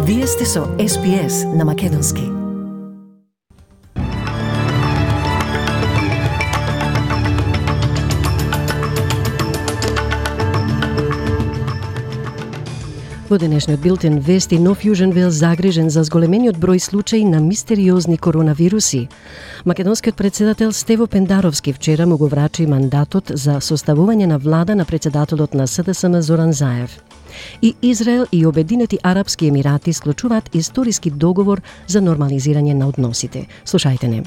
Вие сте со SPS на Македонски. Во денешниот билтен вести, нов Јужен Велс загрижен за зголемениот број случаи на мистериозни коронавируси. Македонскиот председател Стево Пендаровски вчера му го врачи мандатот за составување на влада на председателот на СДСМ Зоран Заев. И Израел и Обединети Арапски Емирати склучуваат историски договор за нормализирање на односите. Слушајте не.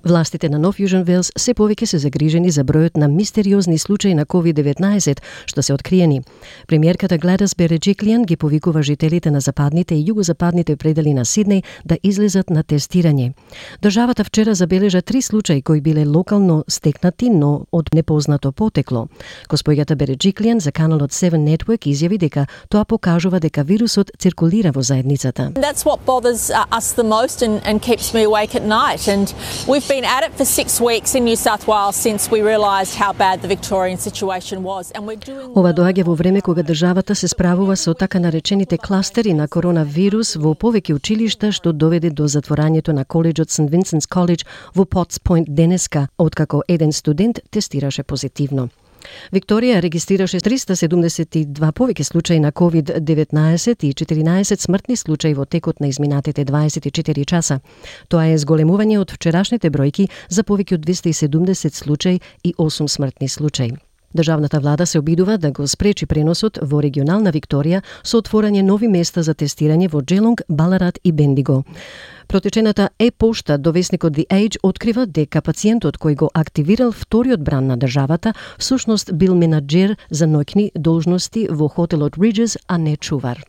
Властите на Нов Јужен Велс се повеќе се загрижени за бројот на мистериозни случаи на COVID-19 што се откриени. Премиерката Гледис Береджиклијан ги повикува жителите на западните и југозападните предели на Сиднеј да излезат на тестирање. Државата вчера забележа 3 случаи кои биле локално стекнати, но од непознато потекло. Госпоѓата Береджиклијан за каналот 7 Network изјави дека тоа покажува дека вирусот циркулира во заедницата. That's what bothers us the most and keeps me awake at night. And we've been at it for 6 weeks in New South Wales since we realised how bad the Victorian situation was. And we're doing Ова доаѓа во време кога државата се справува со така наречените кластери на коронавирус во повеќе училишта, што доведе до затворањето на коледжот St. Vincent's College во Potts Point денеска, откако еден студент тестираше позитивно. Викторија регистрираше 372 повеќе случаи на COVID-19 и 14 смртни случаи во текот на изминатите 24 часа. Тоа е зголемување од вчерашните бројки за повеќе од 270 случаи и 8 смртни случаи. Државната влада се обидува да го спречи преносот во регионална Викторија со отворање нови места за тестирање во Джелонг, Баларат и Бендиго. Протечената пошта до весникот The Age открива дека пациентот кој го активирал вториот бран на државата всушност бил менаџер за ноќни должности во хотелот Ridges, а не чувар.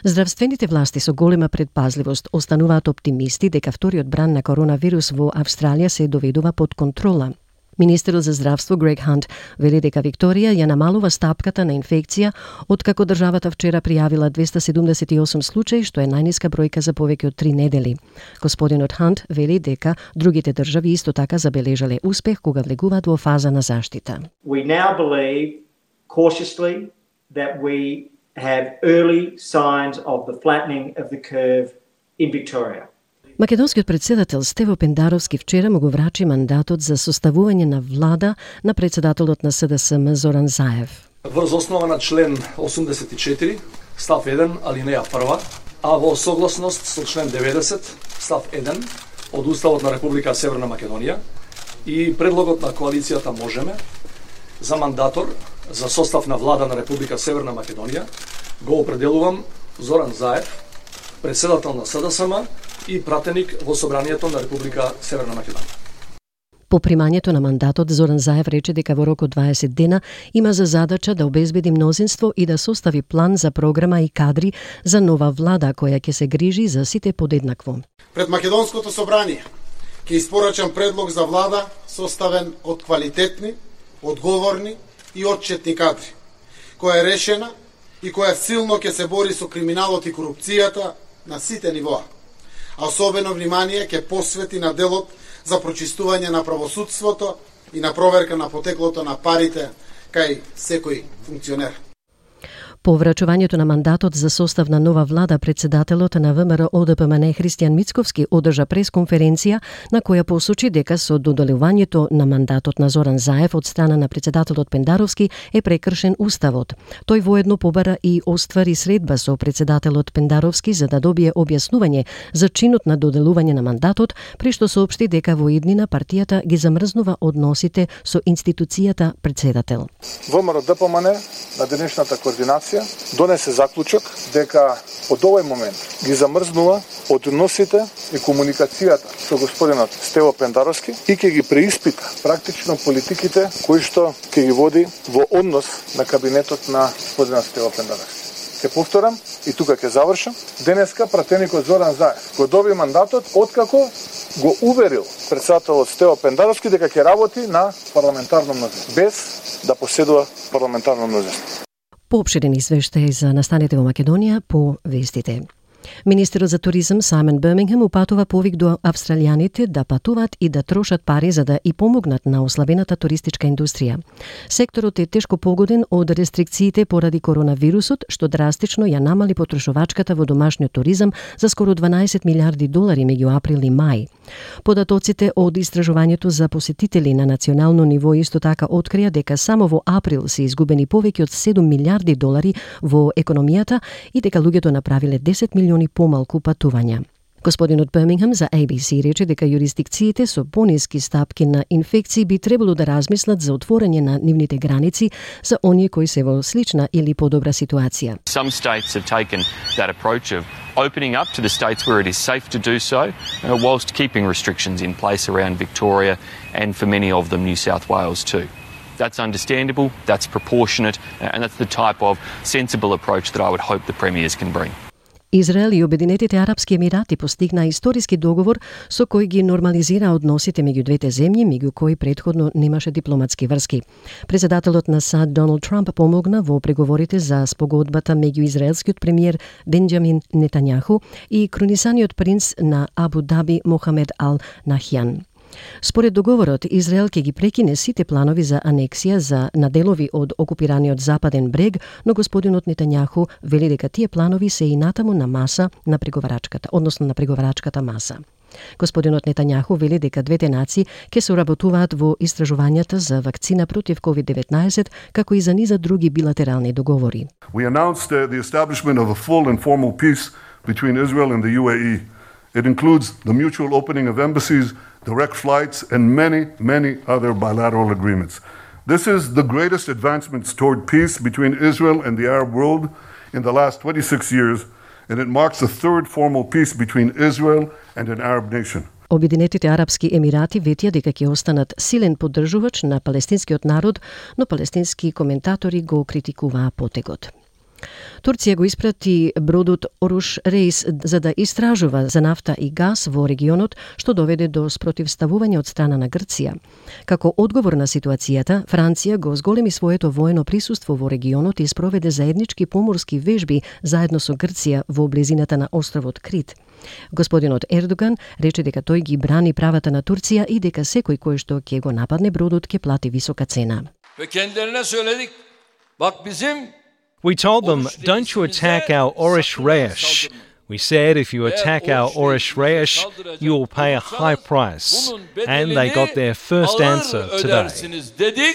Здравствените власти со голема предпазливост остануваат оптимисти дека вториот бран на коронавирус во Австралија се доведува под контрола. Министерот за здравство Грег Хант вели дека Викторија ја намалува стапката на инфекција, откако државата вчера пријавила 278 случаи, што е најниска бројка за повеќе од 3 недели. Господинот Хант вели дека другите држави исто така забележале успех кога влегуваат во фаза на заштита. We now believe cautiously that we have early signs of the flattening of the curve in Victoria. Македонскиот председател Стево Пендаровски вчера му го врачи мандатот за составување на влада на председателот на СДСМ Зоран Заев. Врз основа на член 84, став 1, алинеја 1, а во согласност со член 90, став 1 од Уставот на Република Северна Македонија и предлогот на коалицијата Можеме за мандатор за состав на влада на Република Северна Македонија го определувам Зоран Заев, председател на СДСМ и пратеник во Собранието на Република Северна Македонија. По примањето на мандатот, Зоран Заев рече дека во рок од 20 дена има за задача да обезбеди мнозинство и да состави план за програма и кадри за нова влада која ќе се грижи за сите подеднакво. Пред Македонското собрание ќе испорачам предлог за влада составен од квалитетни, одговорни и отчетни кадри, која е решена и која силно ќе се бори со криминалот и корупцијата на сите нивоа, а особено внимание ќе посвети на делот за прочистување на правосудството и на проверка на потеклото на парите кај секој функционер. По врачувањето на мандатот за состав на нова влада, председателот на ВМРО ОДПМН Христијан Мицковски одржа пресконференција на која посочи дека со доделувањето на мандатот на Зоран Заев од страна на председателот Пендаровски е прекршен уставот. Тој воедно побара и оствари средба со председателот Пендаровски за да добие објаснување за чинот на доделување на мандатот, при што соопшти дека во иднина партијата ги замрзнува односите со институцијата председател. ВМРО ДПМН на денешната координација донесе заклучок дека од овој момент ги замрзнува односите и комуникацијата со господинот Стево Пендаровски и ќе ги преиспита практично политиките кои што ќе ги води во однос на кабинетот на господинот Стево Пендаровски. Ќе повторам и тука ќе завршам. Денеска пратеникот Зоран Заев го доби мандатот откако го уверил председателот Стево Пендаровски дека ќе работи на парламентарно мнозинство, без да поседува парламентарно мнозинство. Поопширен извештај за настаните во Македонија по вестите. Министерот за туризам Саймон Бирмингем упатува повик до австралијаните да патуваат и да трошат пари за да и помогнат на ослабената туристичка индустрија. Секторот е тешко погоден од рестрикциите поради коронавирусот, што драстично ја намали потрошувачката во домашниот туризам за скоро 12 милиарди долари меѓу април и мај. Податоците од истражувањето за посетители на национално ниво исто така открија дека само во април се изгубени повеќе од 7 милиарди долари во економијата и дека луѓето направиле 10 милиони помалку патувања. Господинот Бирмингем за ABC рече дека юрисдикциите со пониски стапки на инфекции би требало да размислат за отворање на нивните граници за оние кои се во слична или подобра ситуација. Some states have taken that approach of opening up to the states where it is safe to do so, whilst keeping restrictions in place around Victoria and for many of them New South Wales too. That's understandable, that's proportionate, and that's the type of sensible approach that I would hope the premiers can bring. Израел и Обединетите арапски емирати постигна историски договор со кој ги нормализира односите меѓу двете земји, меѓу кои претходно немаше дипломатски врски. Председателот на САД Доналд Трамп помогна во преговорите за спогодбата меѓу израелскиот премиер Бенџамин Нетањаху и кронисаниот принц на Абу Даби Мохамед Ал Нахјан. Според договорот, Израел ќе ги прекине сите планови за анексија на делови од окупираниот западен брег, но господинот Нетањаху вели дека тие планови се и натаму на маса на преговарачката, односно на преговарачката маса. Господинот Нетањаху вели дека двете нации ќе соработуваат во истражувањата за вакцина против COVID-19, како и за низа други билатерални договори. We announced the establishment of a full and formal peace between Israel and the UAE. It includes the mutual opening of embassies, direct flights, and many other bilateral agreements. This is the greatest advancements toward peace between Israel and the Arab world in the last 26 years, and it marks the third formal peace between Israel and an Arab nation. Обединетите арапски емирати ветија дека ќе останат силен поддржувач на палестинскиот народ, но палестински коментатори го критикуваа потегот. Турција го испрати бродот Оруш Рейс за да истражува за нафта и газ во регионот, што доведе до спротивставување од страна на Грција. Како одговор на ситуацијата, Франција го зголеми своето воено присуство во регионот и спроведе заеднички поморски вежби заедно со Грција во близината на островот Крит. Господинот Ердоган рече дека тој ги брани правата на Турција и дека секој кој што ќе го нападне бродот ќе плати висока цена. We told them, don't you attack our Orush Reis. We said if you attack our Orush Reis, you will pay a high price. And they got their first answer today.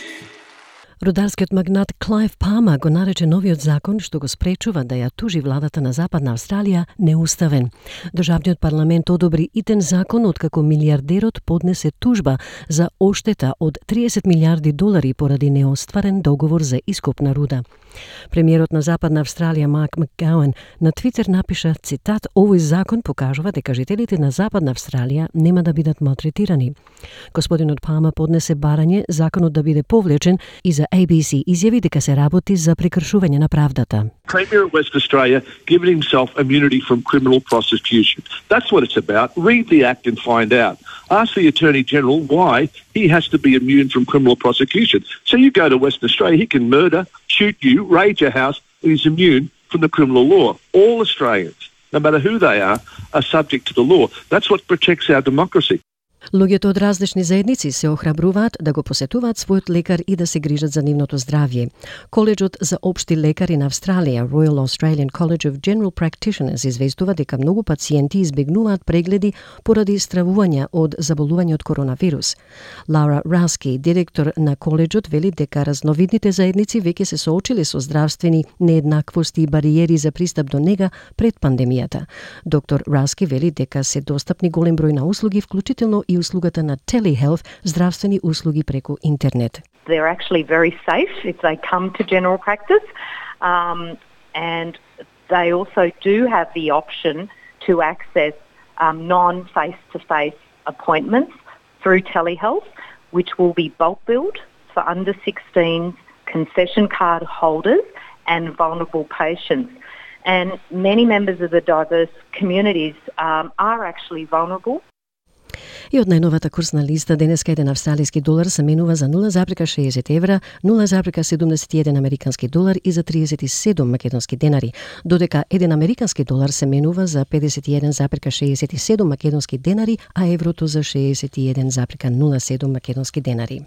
Рударскиот магнат Клайв Палмер го нарече новиот закон што го спречува да ја тужи владата на Западна Австралија неуставен. Државниот парламент одобри итен закон откако милиардерот поднесе тужба за оштета од 30 милиарди долари поради неостварен договор за ископ на руда. Премиерот на Западна Австралија Марк Макгауен на Твитер напиша, цитат, овој закон покажува дека жителите на Западна Австралија нема да бидат малтретирани. Господинот Палмер поднесе барање законот да биде повлечен и за ABC изјави дека се работи за прекршување на правдата. Premier of West Australia given himself immunity from criminal prosecution. That's what it's about. Read the act and find out. Ask the Attorney General why he has to be immune from criminal prosecution. So you go to Western Australia, he can murder, shoot you, raid your house, and he's immune from the criminal law. All Australians, no matter who they are subject to the law. That's what protects our democracy. Луѓето од различни заедници се охрабруваат да го посетуваат својот лекар и да се грижат за нивното здравје. Коледжот за општи лекари на Австралија, Royal Australian College of General Practitioners, известува дека многу пациенти избегнуваат прегледи поради стравувања од заболување од коронавирус. Лаура Раски, директор на коледжот, вели дека разновидните заедници веќе се соочиле со здравствени нееднаквости и бариери за пристап до нега пред пандемијата. Доктор Раски вели дека се достапни голем број на услуги, вклучително и услугата на telehealth, здравствени услуги преку интернет. They're actually very safe if they come to general practice, and they also do have the option to access non-face-to-face appointments through telehealth, which will be bulk billed for under 16s, concession card holders and vulnerable patients. And many members of the diverse communities are actually vulnerable. И од најновата курсна листа денеска еден австралиски долар се менува за 0,60 евра, 0,71 американски долар и за 37 македонски денари, додека еден американски долар се менува за 51,67 македонски денари, а еврото за 61,07 македонски денари.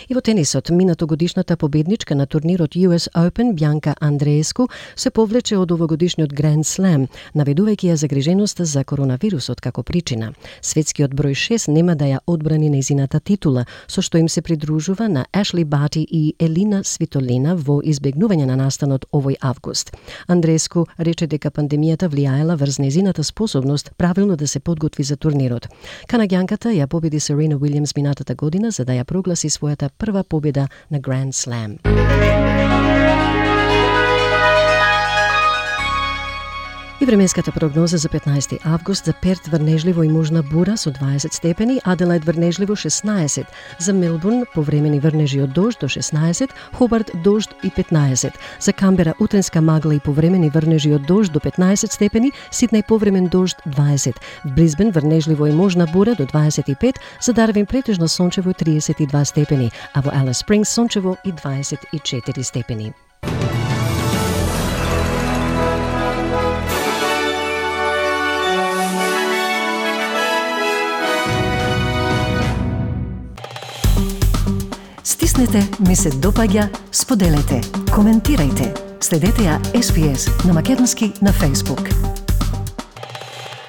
И во тенисот, минатогодишната победничка на турнирот US Open, Бјанка Андрееску, се повлече од овогодишниот Grand Slam, наведувајќи ја загриженоста за коронавирусот како причина. Светскиот број 6 нема да ја одбрани нејзината титула, со што им се придружува на Ашли Бати и Елина Свитолина во избегнување на настанот овој август. Андрееску рече дека пандемијата влијаела врз нејзината способност правилно да се подготви за турнирот. Канаѓанката ја победи Серена Уилјамс минатата година за да ја прогласи својата прва победа на Grand Slam. И временската прогноза за 15 август: за Перт врнежливо и можна бура со 20 степени, Аделаид врнежливо 16, за Мелбурн повремени врнежи од дожд до 16, Хобарт дожд и 15, за Камбера утренска магла и повремени врнежи од дожд до 15 степени, Сиднеј повремен дожд 20, в Брисбен врнежливо и можна бура до 25, за Дарвин претежно сончево 32 степени, а во Алис Спрингс сончево и 24 степени. Стиснете, ми се допаѓа, споделете, коментирајте. Следете ја SPS на македонски на Facebook.